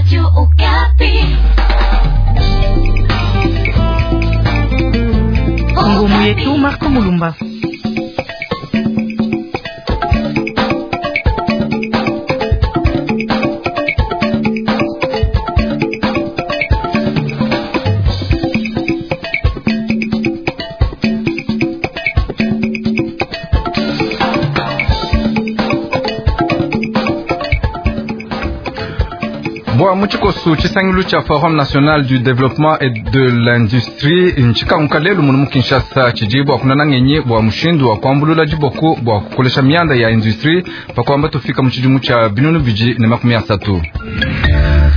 Radio Okapi. Ngumu yetu Marco Mulumba. Bwa mu tshikosu tshisangilu tshia Forum National du Développement et de l'Industrie ntshikanguka lelu munu mu Kinshasa tshidi bua kunana ngenyi bua mushindu wa kuambulula diboku bua kukolesha mianda ya industrie pa kuamba tufika mu tshidimu tshia 2030.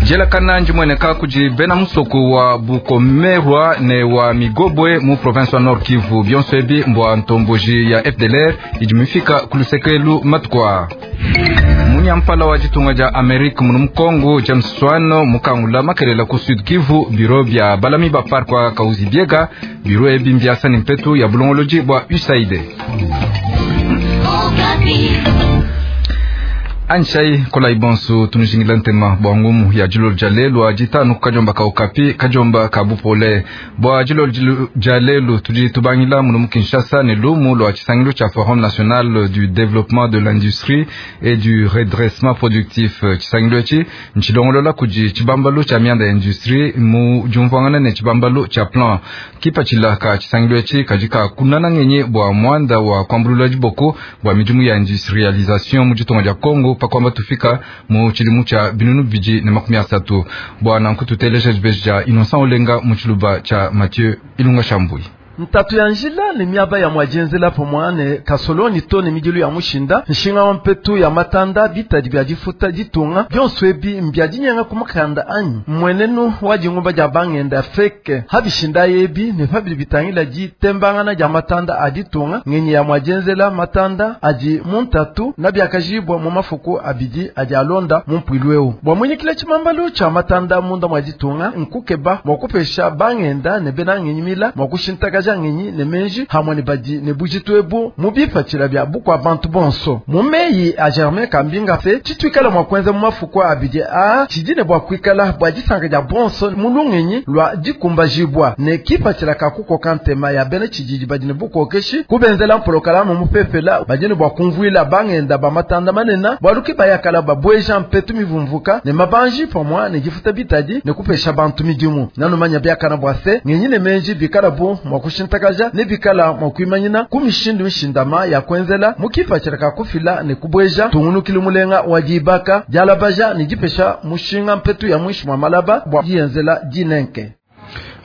Dielakana ndimueneka kudi bena musoko wa Bukomerwa ne wa Migobwe mu province wa Nord Kivu. Bionso ebi mbua ntomboji ya FDLR idi mifika ku luseke matuku aa. Munyampala wa ditunga dia Amerika munu mu Kongo James Swan mukangula makelela ku Sud Kivu biro bia balami ba parc wa Kauzi Biega biro ebi mbiasa ne mpetu ya bulongolodi bua USAID. Anshai kola ibonso tunujingila ntema bua ngumu ya dilolo dia lelu a ditanu kajomba ka Okapi kajomba ka bupole bua dilolo dia lelu tudi tubangila munu mu Kinshasa ne lumu lua tshisangilu tshia Forum National du Développement de l'Industrie et du Redressement Productif. Tshisangilu etshi ntshilongolola kudi tshibambalu tshia mianda ya industrie mu diumvuangana ne tshibambalu tshia plan. Kipatshila ka tshisangilu etshi kadi ka kunana ngenyi bua muanda wa kuambulula diboko bua midimu ya industrialisation mu ditunga dia Congo pakwamba tufika mu tshidimu tshia 2030. Bua nanku tuteleja dibeji dia Innocent Olenga mu tshiluba tshia Mathieu Ilunga Shambui. Ntatu ya njila ne miaba ya mwadienzela pamwa ne kasoloni to ne midilu ya mushinda nshinga wa mpetu ya matanda bitadi bia difuta ditunga bionso ebi mbia dinyenga ku mukanda anyi mmuenenu wa dingumba dia bangenda feke habishinda ebi ne pabidi bitangila ditembangana dia matanda a ditunga ngenyi ya mwadienzela matanda adi mu ntatu na biakajibwa mu mafuku abidi adi alonda mu mpuilu eu bua munyikila tshimambalu tshia matanda munda mwa ditunga nkukeba mua kupesha bangenda ne bena ngenyi mila mua kushintakaja ngenyi ne menji hamwe ne badi ne bujitu ebu mu bipatshila bia bukua bantu bonso. Mu meyi a Germain Kambinga se tshituikala mua kuenza mu mafuku abidi a tshidi ne bua kuikala bua disanka dia bonso mu lungenyi lua dikumbajibua ne kipatshila ka kukoka ntema ya bena tshididi badi ne bukokeshi kubenzela mpolokalamu mupepela badi ne bua kumvuila bangenda ba matanda manene bualu ke bayakala babueja mpetu mivumvuka ne mabanji pamwa ne difuta bitadi ne kupesha bantu midimu. Nanumanya biakana bua se ngenyi ne menji bikala bu mua kushintakaja ne bikala mua kuimanyina ku mishindu mishindama ya kuenzela mu kipatshila ka kufila ne kubueja tungunukili mulenga wa dibaka dialabaja ne dipesha mushinga mpetu ya mwishi mwa malaba bua diyenzela dinenke.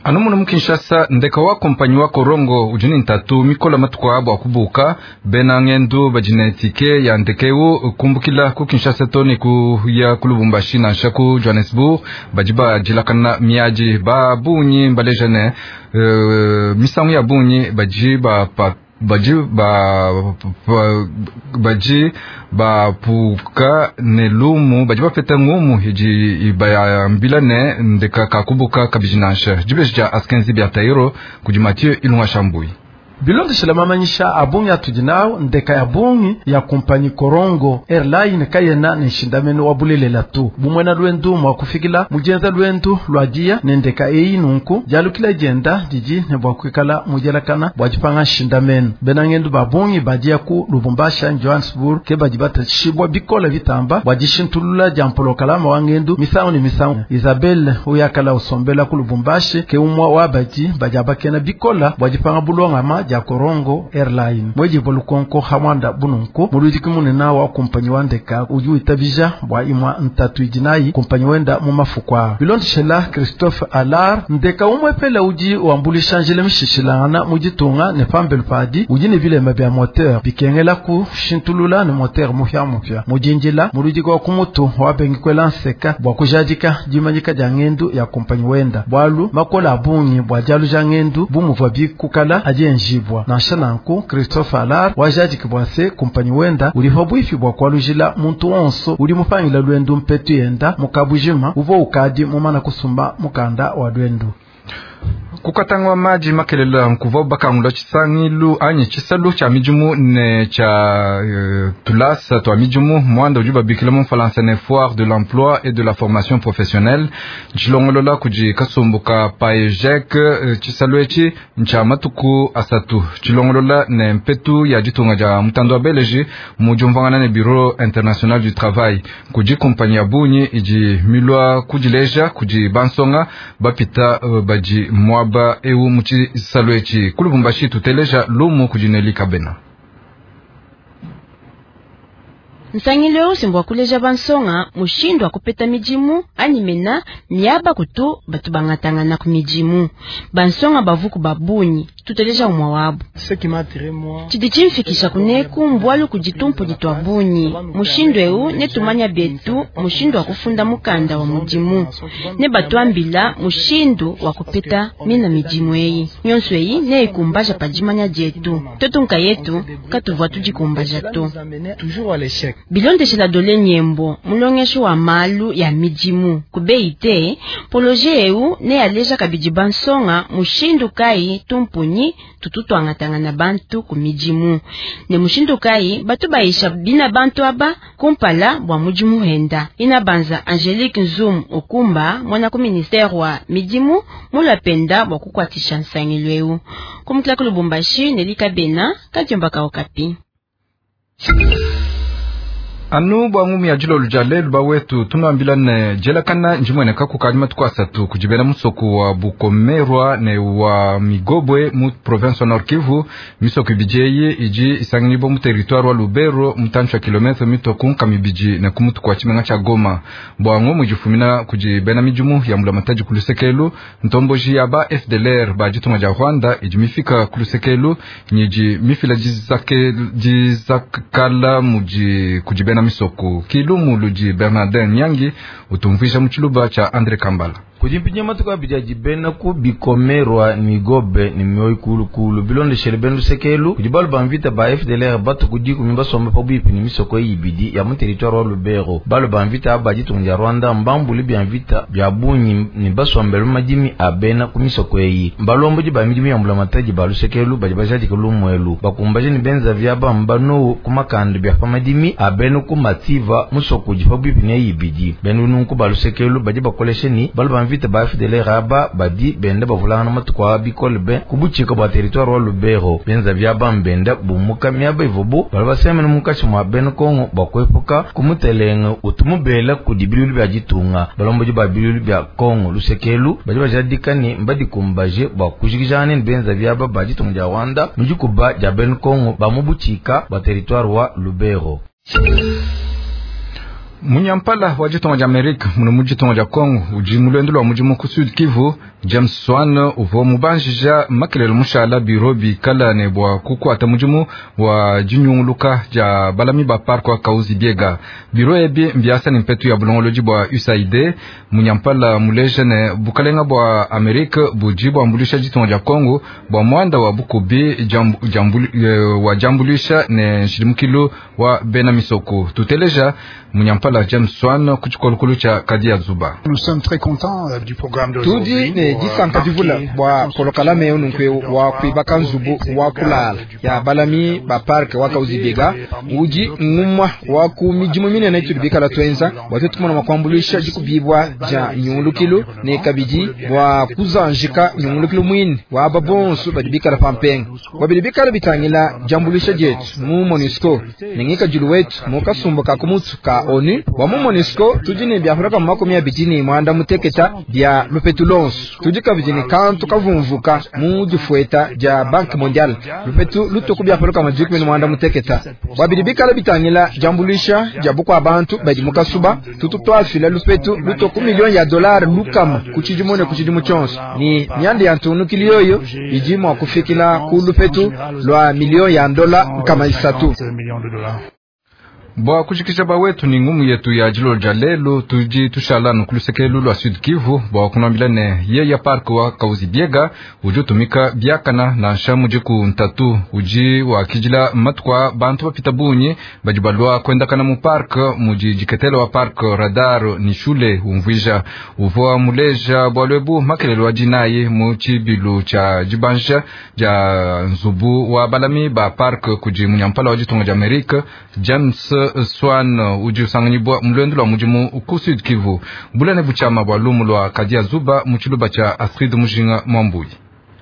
Anu munu mu Kinshasa ndeka wa kompanyi wa Korongo udi ne ntatu mikola matuku a bua kubuka bena ngendu badi ne tike ya ndeke eu kumbukila ku Kinshasa to ne kuya ku Lubumbashi nansha ku Johannesburg badi badilakana miadi ba bungi mbaleja ne misangu ya bungi badi ba badi ba badi bapuka ne lumu badi bapeta ngumu idi ibayambila ne ndeka kakubuka kabidi nansha dibeji dia Askenzi bia Tairo kudi Mathieu Ilunga Shambui. Bilondeshela mamanyisha a bungi atudi nawu ndeka ya bungi ya kumpanyi Korongo Airline kayena ne nshindamenu wa bulelela tu bumwena lwendu mwa kufikila mujenza lwendu lwa dia ne ndeka eyi nunku dialukila dienda didi ne bua kuikala mudielakana bua dipanga nshindamenu. Bena ngendu ba bungi badia ku Lubumbashi Johannesburg ke badi batashibwa bikola bitamba bua dishintulula dia mpolokalama wa ngendu misangu ne misangu. Isabelle uyakala usombela ku Lubumbashi ke umwa wa badi badi abakena bikola bua dipanga bulongama dia Korongo Airline. Mweji bolukonko hamwanda bununku muludiki munena wa kumpanyi wa ndeka udi uitabija bua imwa ntatu idinayi kumpanyi wenda mu mafukwa. Bilondeshela Christophe Allard ndeka umwepela udi wambulisha njila mishishilangana mu ditunga ne pambelu padi udi ne bilema bia moteur bikengela kushintulula ne moteur mupya mupya. Mudinjila muludiki wa kumutu wabengikwela nseka bua kujadika dimanyika dia ngendu ya kumpanyi wenda bwalu makola abungi bua dialuja ngendu bumuvua bikukala adi enjibwa. Nansha nanku Christophe Allard wajadiki bua se kumpanyi wenda uli pabwifi bua kualujila muntu wonso uli mupangila lwendu mpetu yenda mukabujima uvo ukadi mumana kusumba mukanda wa lwendu. Kukatangwa maji makelela nkuvua bakangula tshisangilu anyi tshisalu tshia midimu ne tshia tulasa twa midimu mwanda udi babikila mu mfalansa ne foire de l'emploi et de la formation professionnelle ntshilongolola kudi kasumbu ka PAEJEC. Tshisalu etshi ntshia matuku asatu tshilongolola ne mpetu ya ditunga dia mutando wa beleji mu diumvuangana ne bureau international du travail. Kudi kumpanyi ya bungi idi milwa kudileja kudi bansonga bapita badi mwaba eu mu tshisalu etshi. Ku Lubumbashi tuteleja lumu kudi Neli Kabena. Nsangilu eu simbwa kuleja bansonga mushindu wa kupeta midimu anyi mena miaba kutu batu bangatangana ku midimu. Bansonga bavuku babunyi tuteleja umwa wabu. Tshidi tshimfikisha kuneku mbwalu kuditumpu ditwa bunyi. Mushindu eu netumanya betu mushindu wa kufunda mukanda wa mudimu. Ne batuambila mushindu wa kupeta mina midimu eyi. Nyonso eyi ne ikumbaja padimanya dietu. Totunka yetu katuvua tudikumbaja to. Bilondeshela dole nyembo mulongeshi wa malu ya midimu kubeite poloje eu ne aleja kabidi bansonga mushindu kai tumpunyi tututwangatanga na bantu ku midimu ne mushindu kai batu baisha bina bantu aba kumpala bwa mudimu henda. Ina banza Angelique Nzum okumba mwana ku ministère wa midimu mulapenda bwa kukwatisha nsangilu eu kumukila ku Lubumbashi Nelika Bena Kadiomba ka Okapi. Anu bwa ngumi ya jilo lujale luba wetu tunambila ne jelakana njimwene kakukali matuku asatu kujibela musoko wa Bukomerwa ne wa Migobwe mu province wa Nord Kivu. Misoko ibiji iji isanginibo mu territoire wa Lubero mutanchu wa kilometre mitoku nkamibiji ne kumutu kwa chimenga cha Goma. Bwa ngumu jifumina kujibena mijumu ya mulamatadi kulusekelu ntomboji ya ba FDLR ba jitunga ja Rwanda iji mifika kulusekelu nyiji mifila jizakala muji kujibena misoko. Kilumu luji Bernardin Nyangi utumvisha muchiluba cha Andre Kambala. Kujimpinya matuku abidi jibena ku bikomerwa migobe ni mioyo kulukulu bilondeshele benu lusekelu kudi balu ba mvita ba FDLR batu kudi kumimba somba pabuipi ni misoko ibidi ya mu territoire wa Lubero. Balu ba mvita aba ditunga Rwanda mbambuli bya mvita bya bunyi ni basombelu madimi abena ku misoko eyi. Mbalombo di ba midimi ya mbulamatadi ba lusekelu badi bajadi kulumwelu bakumbaje ni benza vya ba mbano ku makando bya pamadimi abenu ku mativa musoko di pabuipi ni ibidi benu nunku ba lusekelu badi bakoleshe ni balu ba mvita ba FDLR aba badi benda bavulana matuku abikole be kubuchika bwa territoire wa Lubero. Benza vya bambenda bumuka miaba ivobo bali basemene mukashi mwa benu Kongo bakwepuka kumutelenga utumubela kudibilulu bya ditunga. Balomboji ba bilulu bya Kongo lusekelu badi bajadikani mbadi kumbaje bwa kujikijana ni benza vya ba baditunga dia Rwanda mujikuba dia benu Kongo bamubuchika bwa territoire wa Lubero. Munyampala wa jitonga ja Amerika muno mu jitonga ja Kongo uji mulwendo lwa mujimu ku Sud Kivu James Swan uvo mubanjija makelelo mushala biro bikala ne bwa kukwata mujimu wa jinyunguluka ja balami ba park wa Kauzi Biega. Biro ebi mbiasa ni mpetu ya bulongoloji bwa USAID. Munyampala muleje ne bukalenga bwa Amerika buji bwa mbulisha jitonga ja Kongo bwa mwanda wa bukubi wa jambulisha ne nshilimukilu wa bena misoko. Tuteleja munyampala James Swan kuchikolokolo cha Kadia Zuba. Tudi ne disanka divula bwa polokalame ununkwe wa kuibaka nzubu wa kulala ya balami ba park wa Kauzi Biega uji ngumwa wa ku midimu minene tudi bikala twenza bwa tutumona makwambulisha jikubibwa ja nyungulukilu ne kabidi bwa kuzanjika nyungulukilu mwini wa babonsu badi bikala pampenga wabili bikala bitangila jambulisha jetu mu MONUSCO nengika julu wetu mu kasumbu ka kumutsu ka ONU wa mu MONUSCO tudi ne byafuraka mu 21 muteketa bya lupetu lonso tudi kabidi ne kantu kavumvuka mu difueta dia Banque Mondiale lupetu lutuku byafuraka mu 21 muteketa wabili bikala bitangila jambulisha dia bukwa bantu badi mukasuba tutu twafila lupetu lutuku milioni ya dolari lukama kuchidimone kuchidimu chonso ni myanda ya ntunukili yoyo idi mwa kufikila ku lupetu lwa milioni ya dola kama isatu. Bua kujikija bawetu ni ngumu yetu ya dilolo dia lelu, tudi tushala nu kulusekelu lua Sud Kivu bua kunuambila ne yeya park wa Kahuzi-Biega udi utumika biakana nansha mudiku ntatu udi wakidila matuku a bantu bapita bungi badi balua kuendakana mu park mudi diketela wa park radar ni shule umvuija uvua muleja bualu ebu makelelo wa dinayi mu tshibilu tshia dibanja dia nzubu wa balami ba park kudi munyampala wa ditunga dia Amerika James Swan udi usanganyibwa mu luendu lua mudimu ku Sud Kivu. Bulane butshiama bua lumu lua Kadia Zuba mu tshiluba tshia Astrid Mujinga Mwambuyi.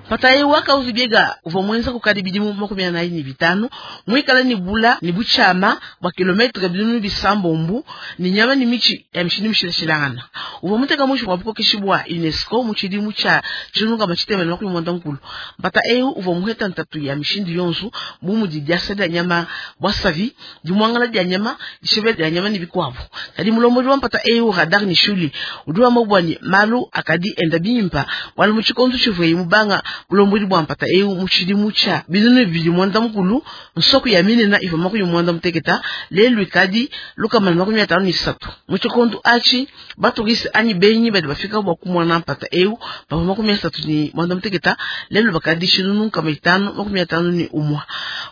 Patayi wa Kahuzi-Biega uvua muenza kukadi bidimu 45 muikala ni bula ni butshiama bua kilometre 600 ni nyama ni mitshi ya mishindu mishilashilangana. Uvua muteka muinshi mua bukokeshi bua UNESCO mu tshidimu tshia 1990. Mpata eu uvua muheta ntatu ya mishindu yonso bu mudi diasa dia nyama bua savi, dimuangala dia nyama, dishebe dia nyama ni bikuabu. Kadi mulombodi wa mpata eu Radar ni shuli udi wamba bua ni malu akadi enda bimpa wala mu tshikondu tshivuaye mubanga bulombodi bua mpata eu mu tshidimu tshia 2009 nsoko ya minena ivua 66 lelu ikadi 153. Mu tshikondu atshi baturiste anyi benyi badi bafika bua kumona mpata eu bavua 38 lelu bakadi 5551.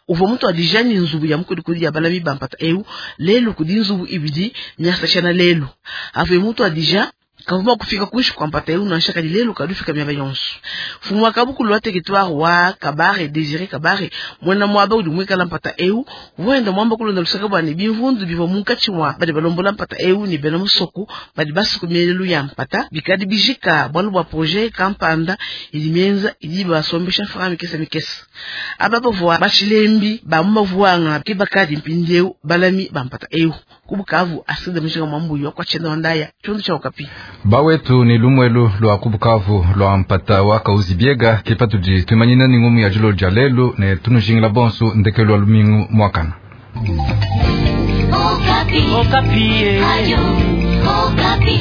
Uvua mutuadija ni nzubu ya mukodikodi ya balami ba mpata eu lelu kudi nzubu ibidi miasashana lelu avue mutuadija kavuma kufika kuishi kwa mpata eu nansha kadi lelu kadufika miaba yonso. Mfumu wa kabukulu wa territoire wa Kabare Désiré Kabare mwena mwaba udi muikala mpata eu wenda mwamba kulonda lusaka bua ne bimvundu bivua munkatshi mua badi balombola mpata eu ni bena musoko badi basuku mielelu ya mpata bikadi bijika bualu bua projet kampanda idi mienza idi basombesha mfranga mikesa mikesa. Aba bavua bashilembi ba mu mavuanga ke bakadi mpindieu balami ba mpata eu kubukavu Astrid Mujinga Mwambuyi wa kwa Tshenda Wandaya tshundu tsha Okapi. Bawetu ni lumwelu lwa kubukavu lwa mpata wa Kahuzi-Biega kipatudi twimanyina ni ngumu ya dilolo dia lelu ne tunujingila bonso ndekelu wa lumingu mwakana. Okapi. Okapi. Ayo, Okapi.